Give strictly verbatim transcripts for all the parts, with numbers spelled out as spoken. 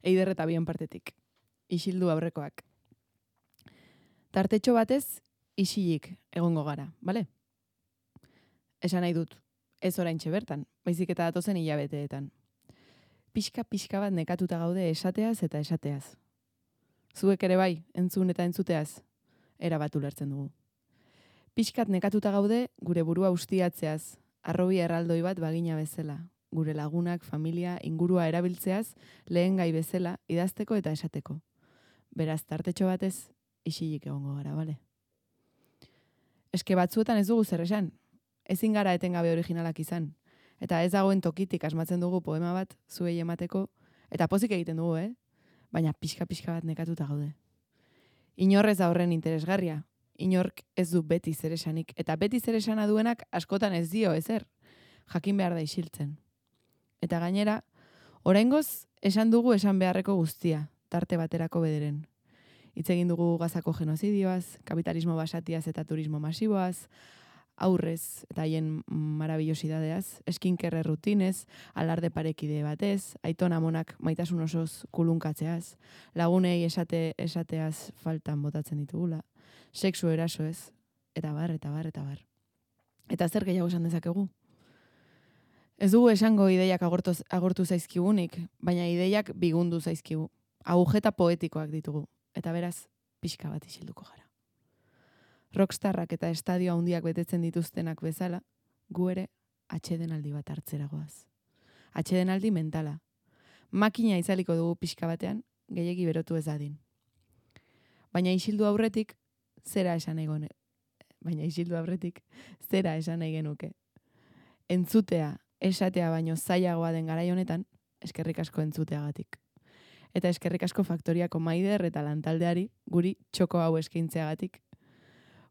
Eider eta bien partetik. Isildu aurrekoak. Tartetxo batez, isilik egongo gara, bale? Esan nahi dut, ez oraintxe bertan, baizik eta datozen hilabeteetan. Pixka-pixka bat nekatuta gaude esateaz eta esateaz. Zuek ere bai, entzun eta entzuteaz, erabat ulertzen dugu. Pixkat nekatuta gaude gure burua ustiatzeaz, arrobi erraldoi bat bagina bezala, gure lagunak, familia, ingurua erabiltzeaz, lehen gai bezala, idazteko eta esateko. Beraz, tartetxo batez, isilik egongo gara, bale? Eske batzuetan ez dugu zer esan, ezin gara etengabe originalak izan, eta ez dagoen tokitik asmatzen dugu poema bat zuei emateko, eta pozik egiten dugu, eh? Baina pixka-pixka bat nekatuta gaude. Inorrez da horren interesgarria, inork ez du beti zer esanik, eta beti zer esana duenak askotan ez dio ezer, jakin behar da isiltzen. Eta gainera, oraingoz esan dugu esan beharreko guztia, tarte baterako bederen. Hitz egin dugu Gazako genozidioaz, kapitalismo basatiaz eta turismo masiboaz, aurrez eta haien marabilosidadeaz, eskinkerre rutinez, alarde parekide batez, aiton amonak maitasun osoz kulunkatzeaz, lagunei esate esateaz faltan botatzen ditugula, sexu erasoez, eta bar, eta bar, eta bar. Eta zer gehiago esan dezakegu? Ez dugu esango ideiak agortu, agortu zaizkigunik, baina ideiak bigundu zaizkigu. Agujeta poetikoak ditugu, eta beraz, pixka bat isilduko gara. Rockstarrak eta estadio handiak betetzen dituztenak bezala, gu ere atsedenaldi bat hartzeragoaz. Atsedenaldi mentala. Makina izaliko dugu pixka batean, gehiegi berotu ez dadin. Baina isildu aurretik, zera esan egone. Baina isildu aurretik, zera esan nahi genuke. Entzutea, esatea baino zailagoa den garai honetan, eskerrik asko entzuteagatik. Eta eskerrik asko faktoriako Maider eta lantaldeari guri txoko hau eskaintzeagatik.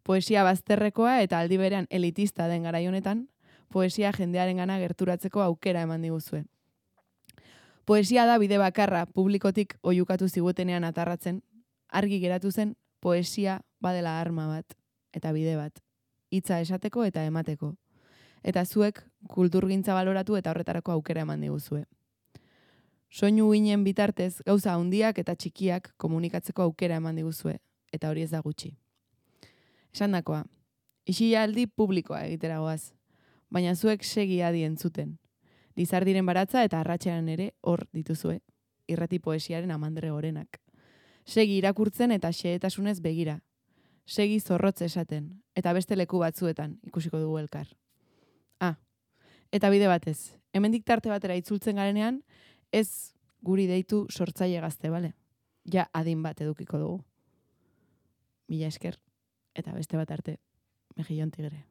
Poesia bazterrekoa eta aldi berean elitista den garai honetan, poesia jendearengana gerturatzeko aukera eman diguzue. Poesia da bide bakarra publikotik oiukatu zigutenean atarratzen, argi geratu zen poesia badela arma bat eta bide bat, hitza esateko eta emateko. Eta zuek kulturgintza baloratu eta horretarako aukera eman diguzue. Soinu ginen bitartez gauza handiak eta txikiak komunikatzeko aukera eman diguzue, eta hori ez da gutxi. Esandakoa, isilaldi publikoa egiteragoaz, baina zuek segi adi entzuten. Lizardiren baratza eta arratsean ere hor dituzue, irrati poesiaren amandre gorenak. Segi irakurtzen eta xehetasunez begira. Segi zorrotz esaten, eta beste leku batzuetan ikusiko dugu elkar. Ah, eta bide batez, hemendik tarte batera itzultzen garenean, ez guri deitu sortzaile gazte, bale? Ja adin bat edukiko dugu. Mila esker. Eta beste bat arte, Mejillon Tigre.